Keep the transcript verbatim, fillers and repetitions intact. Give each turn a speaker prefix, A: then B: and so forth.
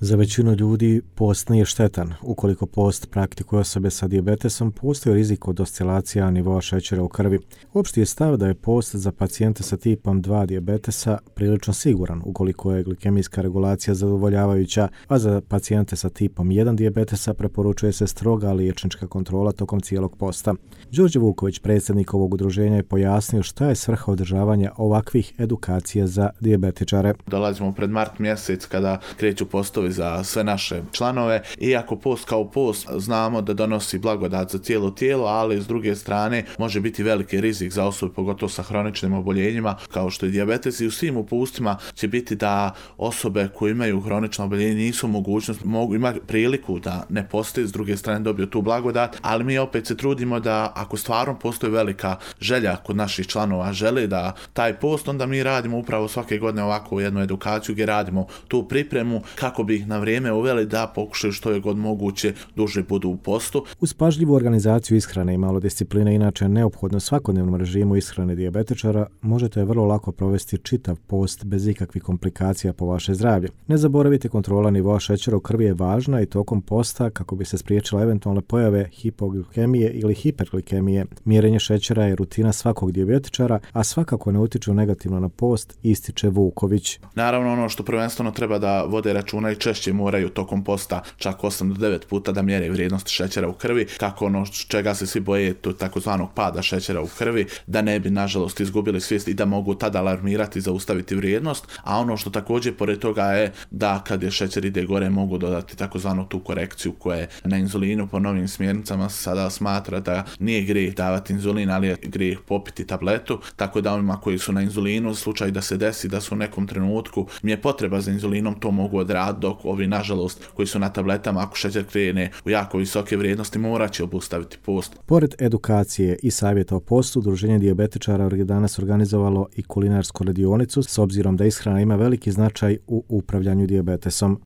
A: Za većinu ljudi post nije štetan. Ukoliko post praktikuje osobe sa dijabetesom, postoji rizik od oscilacija nivoa šećera u krvi. Opšti je stav da je post za pacijente sa tipom dva dijabetesa prilično siguran ukoliko je glikemijska regulacija zadovoljavajuća, a za pacijente sa tipom jedan dijabetesa preporučuje se stroga liječnička kontrola tokom cijelog posta. Đorđe Vuković, predsjednik ovog udruženja, je pojasnio šta je svrha održavanja ovakvih edukacija za dijabetičare.
B: Dolazimo pred mart mjesec kada kreću postovi za sve naše članove. Iako post kao post znamo da donosi blagodat za cijelo tijelo, ali s druge strane može biti veliki rizik za osobe, pogotovo sa hroničnim oboljenjima kao što je dijabetes, i u svim upustima će biti da osobe koje imaju hronično oboljenje nisu mogućnost, mogu imati priliku da ne poste, s druge strane dobiju tu blagodat, ali mi opet se trudimo da ako stvarno postoji velika želja kod naših članova, žele da taj post, onda mi radimo upravo svake godine ovakvu jednu edukaciju gdje radimo tu pripremu kako bi ih na vrijeme uveli da pokušaju što je god moguće duže budu u postu.
A: Uz pažljivu organizaciju ishrane i malo discipline, inače neophodno svakodnevnom režimu ishrane dijabetičara, možete vrlo lako provesti čitav post bez ikakvih komplikacija po vaše zdravlje. Ne zaboravite, kontrola nivoa šećera u krvi je važna i tokom posta kako bi se spriječila eventualne pojave hipoglikemije ili hiperglikemije. Mjerenje šećera je rutina svakog dijabetičara, a svakako ne utiče negativno na post, ističe Vuković.
B: Naravno, ono što prvenstveno treba da vode računa i češće moraju tokom posta čak osam do devet puta da mjere vrijednost šećera u krvi, kako ono čega se svi boje, to takozvanog pada šećera u krvi, da ne bi nažalost izgubili svijest i da mogu tada alarmirati i zaustaviti vrijednost. A ono što također pored toga je da kad je šećer ide gore mogu dodati takozvanu tu korekciju koja je na inzulinu. Po novim smjernicama sada smatra da nije grijeh davati inzulin, ali je grijeh popiti tabletu, tako da onima koji su na inzulinu, u slučaju da se desi da su u nekom trenutku mi je potreba za inzulinom, to mogu odraditi, dok ovi nažalost koji su na tabletama, ako šećer krene u jako visoke vrijednosti, morat će obustaviti post.
A: Pored edukacije i savjeta o postu, Udruženje dijabetičara je danas organizovalo i kulinarsku radionicu s obzirom da ishrana ima veliki značaj u upravljanju dijabetesom.